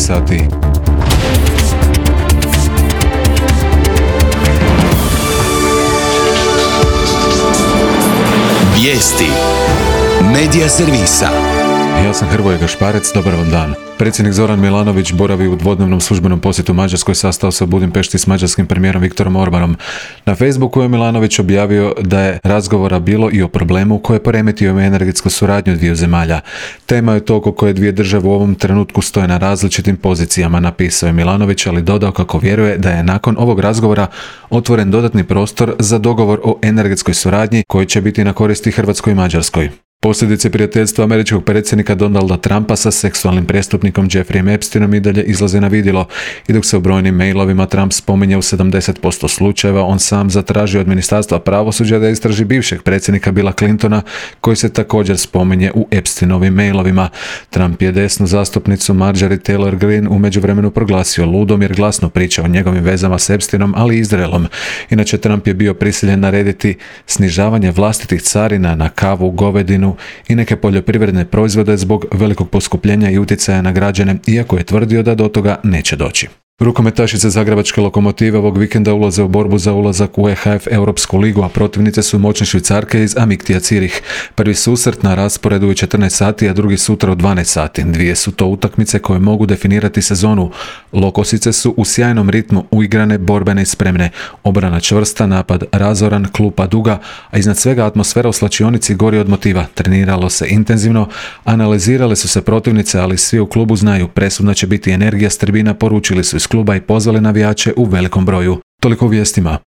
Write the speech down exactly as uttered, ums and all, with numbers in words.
sati. Vijesti Medija servisa. Ja sam Hrvoje Gašparec, dobar vam dan. Predsjednik Zoran Milanović boravi u dvodnevnom službenom posjetu Mađarskoj, sastao se u Budimpešti s mađarskim premijerom Viktorom Orbanom. Na Facebooku je Milanović objavio da je razgovora bilo i o problemu koji je poremetio energetsku suradnju dviju zemalja. Tema je to oko koje dvije države u ovom trenutku stoje na različitim pozicijama, napisao je Milanović, ali dodao kako vjeruje da je nakon ovog razgovora otvoren dodatni prostor za dogovor o energetskoj suradnji koji će biti na koristi Hrvatskoj i Mađarskoj. Posljedice prijateljstva američkog predsjednika Donalda Trumpa sa seksualnim prijestupnikom Jeffreyem Epsteinom i dalje izlaze na vidjelo. I dok se u brojnim mailovima Trump spominje u sedamdeset posto slučajeva, on sam zatražio od Ministarstva pravosuđa da istraži bivšeg predsjednika Billa Clintona, koji se također spominje u Epsteinovim mailovima. Trump je desnu zastupnicu Marjorie Taylor Greene u međuvremenu proglasio ludom jer glasno priča o njegovim vezama s Epsteinom, ali i Izraelom. Inače, Trump je bio prisiljen narediti snižavanje vlastitih carina na kavu, govedinu i neke poljoprivredne proizvode zbog velikog poskupljenja i utjecaja na građane, iako je tvrdio da do toga neće doći. Rukometašice Zagrebačke Lokomotive ovog vikenda ulaze u borbu za ulazak u E H F Europsku ligu, a protivnice su moćne Švicarke iz Amiktija Cirih. Prvi susret na rasporedu je četrnaest sati, a drugi sutra u dvanaest sati. Dvije su to utakmice koje mogu definirati sezonu. Lokosice su u sjajnom ritmu, uigrane, borbene i spremne. Obrana čvrsta, napad razoran, klupa duga, a iznad svega atmosfera u slačionici gori od motiva. Treniralo se intenzivno, analizirale su se protivnice, ali svi u klubu znaju, presudna će biti energija s tribina, poručili su iz kluba i pozvali navijače u velikom broju. Toliko u vijestima.